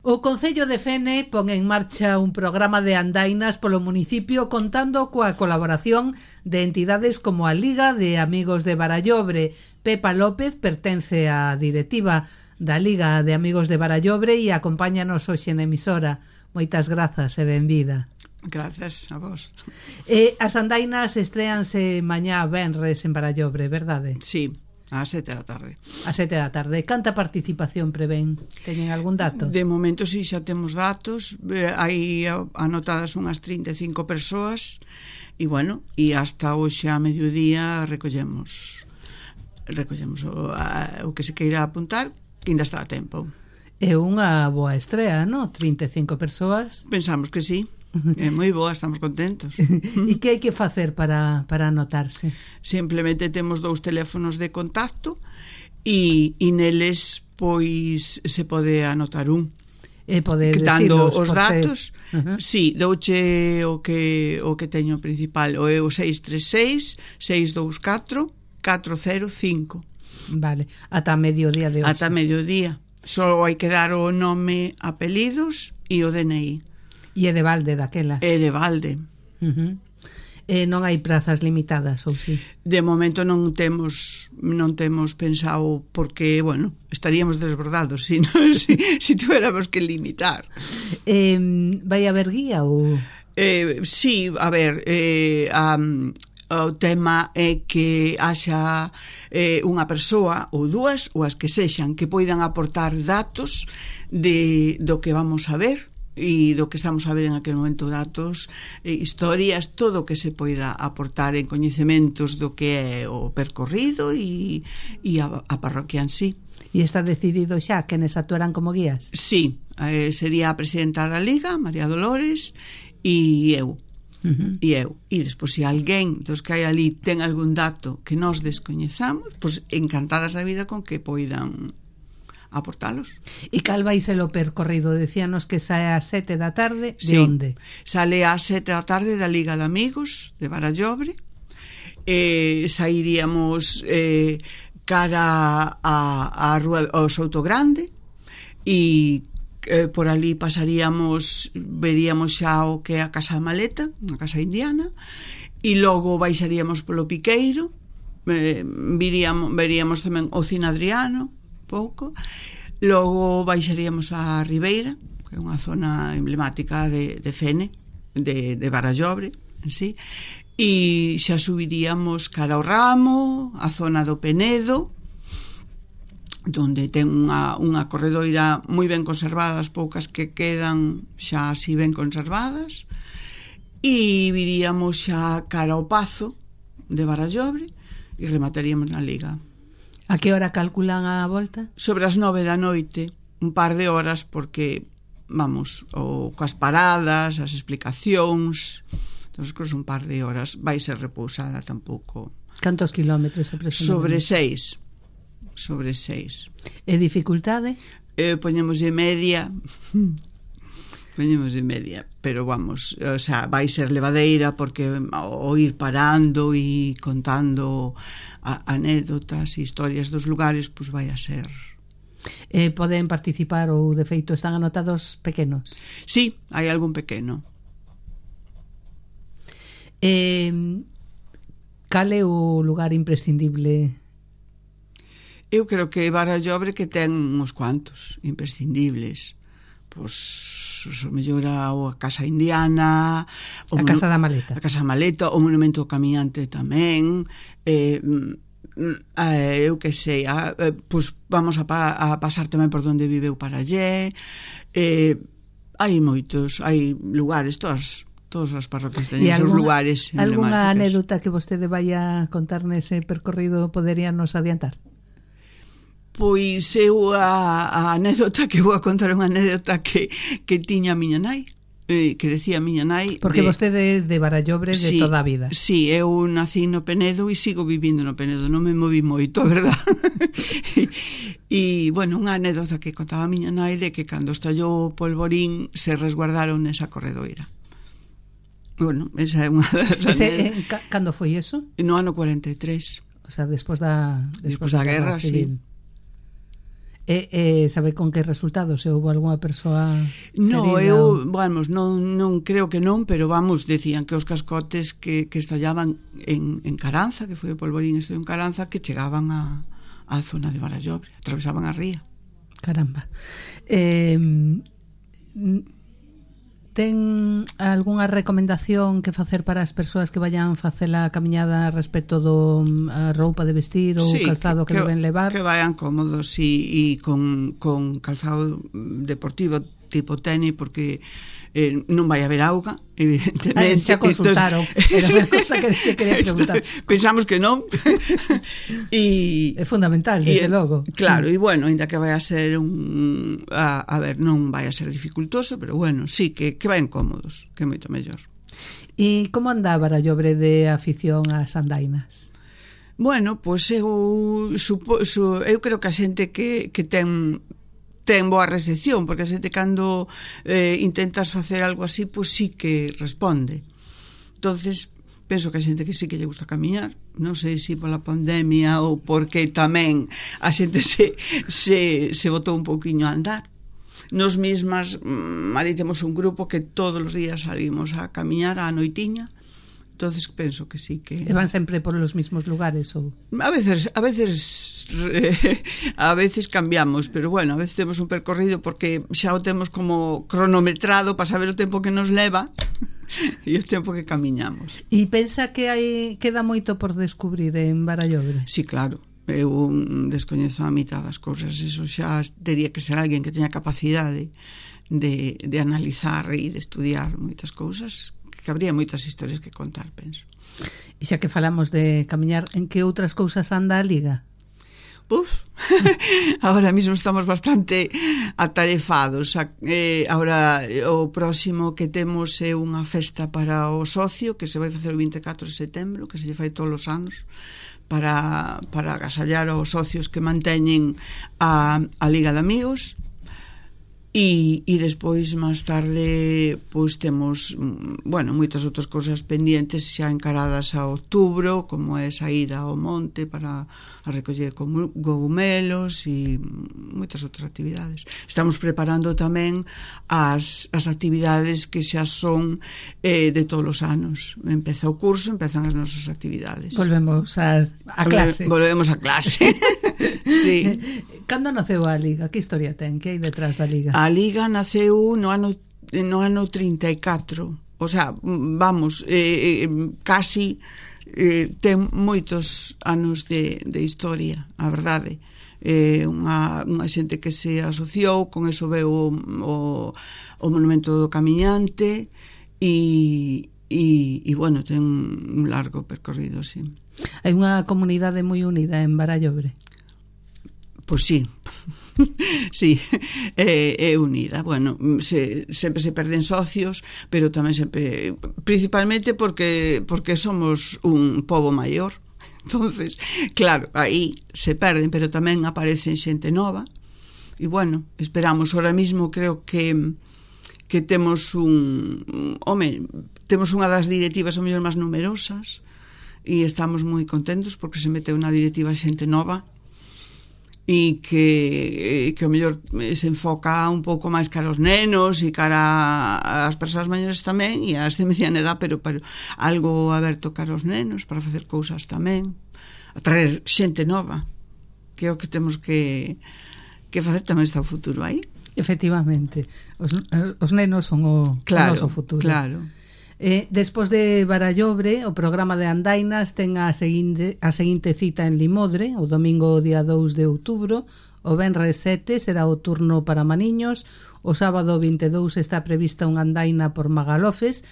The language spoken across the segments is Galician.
O Concello de Fene pon en marcha un programa de andainas polo municipio contando coa colaboración de entidades como a Liga de Amigos de Barallobre. Pepa López pertence á directiva da Liga de Amigos de Barallobre e acompáñanos hoxe na emisora. Moitas grazas e benvida. Grazas a vos. As andainas estréanse mañá venres en Barallobre, verdade? Sí. Ás 7 da tarde. Ás 7 da tarde. Canta participación prevén? Teñen algún dato? De momento sí, xa temos datos. Hai anotadas unhas 35 persoas e, bueno, e hasta hoxe a mediodía recollemos o que se queira apuntar, que ainda está a tempo. É unha boa estrea, non? 35 persoas. Pensamos que sí. É moi boa, estamos contentos. E que hai que facer para anotarse? Simplemente temos 2 teléfonos de contacto e neles pois se pode anotar un. E pode quitando os datos. Sí, douche o que teño principal, o é o 636 624 405. Vale, ata mediodía de hoxe. Ata mediodía. Só hai que dar o nome, apelidos e o DNI. E é de balde daquela? É de balde. Non hai prazas limitadas, ou si? De momento non temos pensado, porque, bueno, estaríamos desbordados si tuéramos que limitar. Vai haber guía ou...? Sí, a ver, o tema é que haxa unha persoa ou dúas, ou as que sexan, que poidan aportar datos do que vamos a ver e do que estamos a ver en aquel momento, datos, historias, todo o que se poida aportar en coñecementos do que é o percorrido e a parroquia en sí. E está decidido xa quenes actuarán como guías? Sí, sería a presidenta da Liga, María Dolores, e eu. E despois, se alguén dos que hai ali ten algún dato que nos descoñezamos, pois encantadas da vida con que poidan aportalos. E cal vai ser o percorrido? Decíanos que sae ás 7 da tarde. De sí, onde? Sale ás 7 da tarde da Liga de Amigos de Barallobre. Sairíamos cara a Rúa ao Souto Grande e por ali pasaríamos, veríamos xa o que é a Casa Maleta, unha casa indiana, e logo baixaríamos polo Piqueiro, veríamos tamén o Cine Adriano pouco, logo baixaríamos a Ribeira, que é unha zona emblemática de Fene, de Barallobre en sí, e xa subiríamos cara ao Ramo, a zona do Penedo, donde ten unha corredoira moi ben conservada, as poucas que quedan xa así ben conservadas, e viríamos xa cara ao Pazo de Barallobre e remataríamos na Liga. A que hora calculan a volta? Sobre as 9 da noite, un par de horas, porque, vamos, coas paradas, as explicacións, entonces, cos un par de horas, vai ser repousada tampouco. Cantos kilómetros aproximadamente? Sobre 6. E dificultade? Poñemos de media, pero vamos, o sea, vai ser levadeira, porque o ir parando e contando anécdotas e historias dos lugares, pois vai a ser. Poden participar ou de feito están anotados pequenos? Sí, hai algún pequeno. Cal é o lugar imprescindible? Eu creo que Barallobre que ten uns cuantos imprescindibles. Pois o mellor a Casa Indiana, a Casa da Maleta. A Casa da Maleta, o Monumento Camiñante tamén. Eu que sei, pois vamos a pasar tamén por onde viveu Parallé. Hai moitos, hai lugares, todas as parroquias teñen seus lugares emblemáticos. Algúna anécdota que vostede vai a contar nese percorrido poderíanos adiantar? Pois eu a anécdota que vou a contar, unha anécdota que tiña a miña nai, que decía a miña nai. Porque vostede de Barallobre de toda a vida. Sí, eu nací no Penedo e sigo vivindo no Penedo, non me moví moito, a verdad. E, bueno, unha anécdota que contaba a miña nai de que cando estallou o polvorín se resguardaron nesa corredoira. Bueno, esa é unha das anécdotas. Cando foi eso? No ano 43. O sea, despois da guerra, sí. Sabe con que resultados? Se houve algunha persoa No, herida? vamos, non creo que non, pero vamos, decían que os cascotes que estallaban en Caranza, que foi o polvorín este en Caranza, que chegaban á zona de Barallobre, atravesaban a ría. Caramba. Ten algunha recomendación que facer para as persoas que vayan facer a camiñada respecto do a roupa de vestir ou calzado que deben levar? Que vayan cómodos e con calzado deportivo tipo tenis, porque non vai haber auga, evidentemente. Xa consultaron, era unha cosa que se quería preguntar. Pensamos que non. É fundamental, desde logo. Claro, e bueno, ainda que vai a ser a ver, non vai a ser dificultoso, pero bueno, sí, que vayan cómodos, que é moito mellor. E como anda Barallobre de afición ás andainas? Bueno, pois eu creo que a xente que ten boa recepción, porque a xente cando intentas facer algo así, pois sí que responde. Entonces, penso que a xente que sí que lle gusta camiñar, non sei se pola pandemia ou porque tamén a xente se botou un pouquiño a andar. Nos mesmas, ali temos un grupo que todos os días salimos a camiñar á noitiña. Entonces penso que sí que... E van sempre por los mismos lugares ou? A veces cambiamos, pero bueno, a veces temos un percorrido porque xa o temos como cronometrado para saber o tempo que nos leva e o tempo que camiñamos. E pensa que queda moito por descubrir en Barallobre? Sí, claro. Eu descoñezo a mitad das cousas. Eso xa teria que ser alguén que teña capacidade de analizar e de estudiar moitas cousas, que habría moitas historias que contar, penso. E xa que falamos de camiñar, en que outras cousas anda a Liga? Ahora mismo estamos bastante atarefados. Ahora o próximo que temos é unha festa para o socio que se vai facer o 24 de setembro, que se lle fai todos os anos, para agasallar aos socios que manteñen a Liga de Amigos. E despois, máis tarde, pois temos, bueno, moitas outras cousas pendientes xa encaradas a outubro, como é saída ao monte para a recoller cogumelos e moitas outras actividades. Estamos preparando tamén as actividades que xa son de todos os anos. Empeza o curso, empezan as nosas actividades. Volvemos a clase. Volvemos a clase. Sí. Cando naceu a Liga? Que historia ten? Que hai detrás da Liga? A Liga naceu no ano 34. O sea, vamos, casi ten moitos anos de historia, a verdade. Unha xente que se asociou, con eso veu o monumento do camiñante e bueno, ten un largo percorrido, sí. Hai unha comunidade moi unida en Barallobre? Pois sí. Sí, é unida. Bueno, sempre se perden socios, pero tamén sempre, principalmente porque somos un pobo maior. Entonces, claro, aí se perden, pero tamén aparecen xente nova. E bueno, esperamos, ahora mismo creo que temos temos unha das directivas o mellor máis numerosas e estamos moi contentos porque se meteu na directiva xente nova e que o mellor se enfoca un pouco máis cara aos nenos e cara ás persoas maiores tamén e ás de mediana edad, pero algo aberto cara aos nenos para facer cousas tamén, atraer xente nova, que é o que temos que facer. Tamén está o futuro aí. Efectivamente, os nenos son o noso futuro. Claro. Despois de Barallobre, o programa de andainas ten a seguinte cita en Limodre, o domingo día 2 de outubro, o venres 7 será o turno para Maniños, o sábado 22 está prevista unha andaina por Magalofes,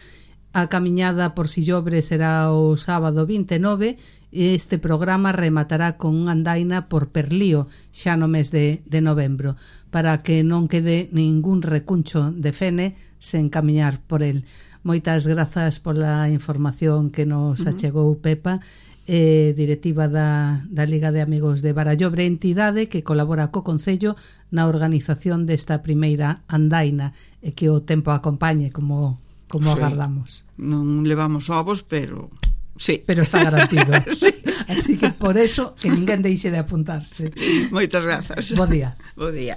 a camiñada por Sillobre será o sábado 29 e este programa rematará con unha andaina por Perlío xa no mes de novembro, para que non quede ningún recuncho de Fene sen camiñar por el. Moitas grazas pola información que nos achegou Pepa, directiva da Liga de Amigos de Barallobre, entidade que colabora co Concello na organización desta primeira andaina e que o tempo acompañe como agardamos. Non levamos ovos, pero Sí. Pero está garantido. Sí. Así que por eso que ninguén deixe de apuntarse. Moitas grazas. Bo día. Bo día.